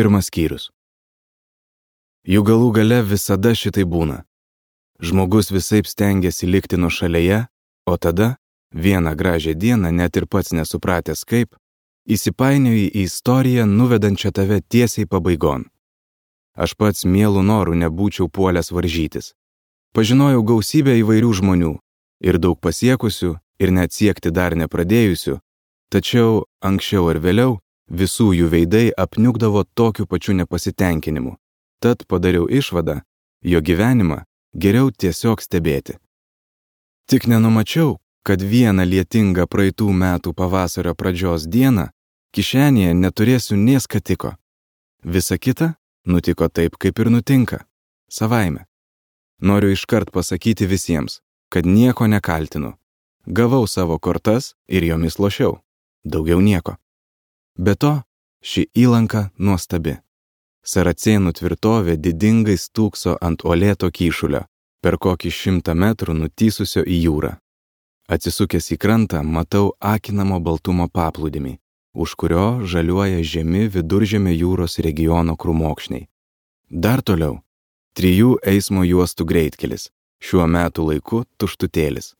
Pirmas skyrius. Jų galų gale visada šitai būna. Žmogus visaip stengiasi likti nuošalėje, o tada, vieną gražią dieną, net ir pats nesupratęs kaip, įsipainioji į istoriją, nuvedančią tave tiesiai pabaigon. Aš pats mielų norų nebūčiau puolęs varžytis. Pažinojau gausybę įvairių žmonių, ir daug pasiekusių, ir net siekti dar nepradėjusių, tačiau anksčiau ar vėliau visų jų veidai apniukdavo tokiu pačiu nepasitenkinimu. Tad padariau išvadą, jo gyvenimą geriau tiesiog stebėti. Tik nenumačiau, kad vieną lietingą praeitų metų pavasario pradžios dieną kišenėje neturėsiu nė skatiko. Visa kita nutiko taip, kaip ir nutinka, savaime. Noriu iškart pasakyti visiems, kad nieko nekaltinu. Gavau savo kortas ir jomis lošiau. Daugiau nieko. Be to, ši įlanka nuostabi. Saracėnų tvirtovė didingai stūkso ant uolėto kyšulio, per kokį 100 metrų nutįsusio į jūrą. Atsisukęs į krantą, matau akinamo baltumo paplūdimį, už kurio žaliuoja žemi Viduržemio jūros regiono krūmokšniai. Dar toliau 3 eismo juostų greitkelis, šiuo metų laiku tuštutėlis.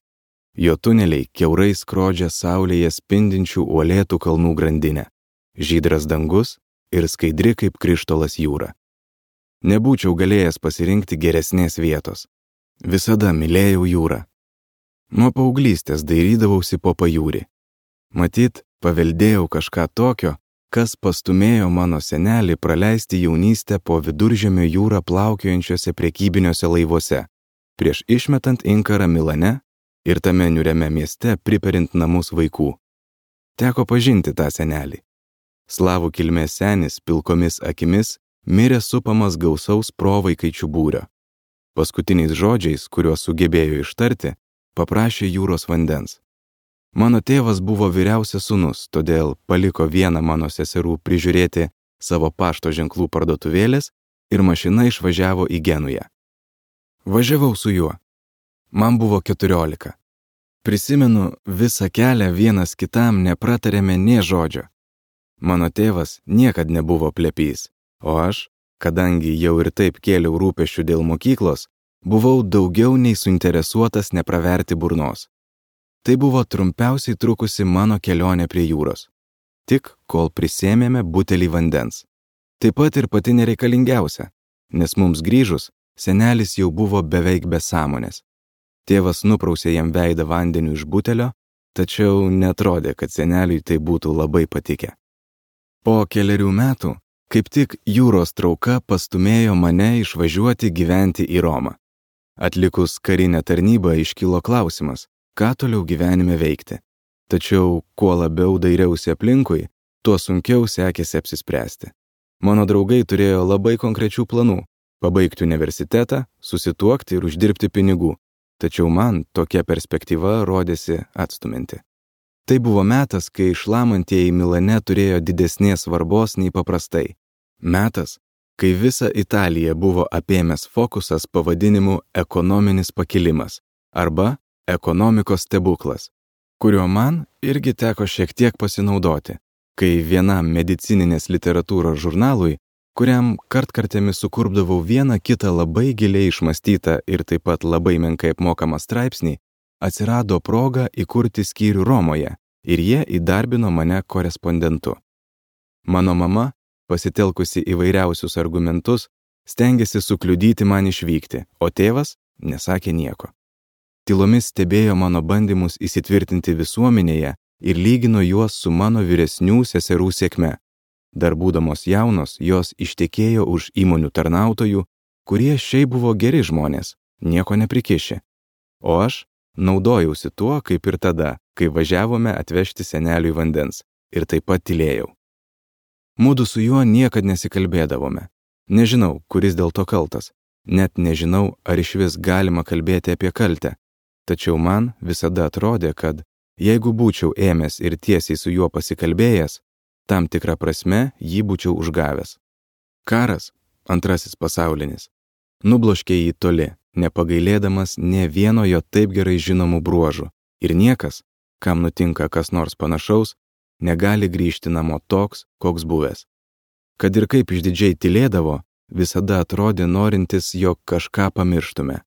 Jo tuneliai kiaurai skrodžia saulėje spindinčių uolėtų kalnų grandinę, žydras dangus ir skaidri kaip krištolas jūra. Nebūčiau galėjęs pasirinkti geresnės vietos. Visada mylėjau jūrą. Nuo paauglystės dairydavausi po pajūrį. Matyt, paveldėjau kažką tokio, kas pastumėjo mano senelį praleisti jaunystę po Viduržemio jūrą plaukiojančiuose prekybiniuose laivuose, prieš išmetant inkarą Milane ir tame niūriame mieste priperint namus vaikų. Teko pažinti tą senelį. Slavų kilmės senis pilkomis akimis mirė supamas gausaus provaikaičių būrio. Paskutiniais žodžiais, kuriuos sugebėjo ištarti, paprašė jūros vandens. Mano tėvas buvo vyriausias sūnus, todėl paliko vieną mano seserų prižiūrėti savo pašto ženklų parduotuvėlės ir mašina išvažiavo į Genują. Važiavau su juo. Man buvo 14. Prisimenu, visą kelią vienas kitam nepratarėme nė žodžio. Mano tėvas niekad nebuvo plepys, o aš, kadangi jau ir taip kėliau rūpesčių dėl mokyklos, buvau daugiau nei suinteresuotas nepraverti burnos. Tai buvo trumpiausiai trukusi mano kelionė prie jūros. Tik kol prisėmėme butelį vandens. Taip pat ir pati nereikalingiausia, nes mums grįžus, senelis jau buvo beveik be sąmonės. Tėvas nuprausė jam veidą vandeniu iš butelio, tačiau netrodė, kad seneliui tai būtų labai patikę. Po kelerių metų, kaip tik jūros trauka pastumėjo mane išvažiuoti gyventi į Romą. Atlikus karinę tarnybą iškilo klausimas, ką toliau gyvenime veikti. Tačiau, kuo labiau dairiausi aplinkui, tuo sunkiau sekėsi apsispręsti. Mano draugai turėjo labai konkrečių planų – pabaigti universitetą, susituokti ir uždirbti pinigų. Tačiau man tokia perspektyva rodėsi atstuminti. Tai buvo metas, kai šlamantieji Milane turėjo didesnės svarbos nei paprastai. Metas, kai visą Italiją buvo apėmęs fokusas pavadinimu ekonominis pakilimas arba ekonomikos stebuklas, kurio man irgi teko šiek tiek pasinaudoti, kai vienam medicininės literatūros žurnalui, kuriam kartkartėmis sukurpdavau vieną kitą labai giliai išmąstytą ir taip pat labai menkai apmokamą straipsnį, atsirado proga įkurti skyrių Romoje ir jie įdarbino mane korespondentu. Mano mama, pasitelkusi įvairiausius argumentus, stengėsi sukliudyti man išvykti, o tėvas nesakė nieko. Tylomis stebėjo mano bandymus įsitvirtinti visuomenėje ir lygino juos su mano vyresnių seserų sėkme. Dar būdamos jaunos, jos ištekėjo už įmonių tarnautojų, kurie šiaip buvo geri žmonės, nieko neprikišė. O aš naudojausi tuo, kaip ir tada, kai važiavome atvežti seneliui vandens, ir taip pat tylėjau. Mudu su juo niekad nesikalbėdavome. Nežinau, kuris dėl to kaltas. Net nežinau, ar išvis galima kalbėti apie kaltę. Tačiau man visada atrodė, kad jeigu būčiau ėmęs ir tiesiai su juo pasikalbėjęs, tam tikrą prasme jį būčiau užgavęs. Karas, antrasis pasaulinis, nubloškė jį toli, nepagailėdamas nė vieno jo taip gerai žinomų bruožų, ir niekas, kam nutinka kas nors panašaus, negali grįžti namo toks, koks buvęs. kad ir kaip išdidžiai tylėdavo, visada atrodė norintis, jog kažką pamirštume.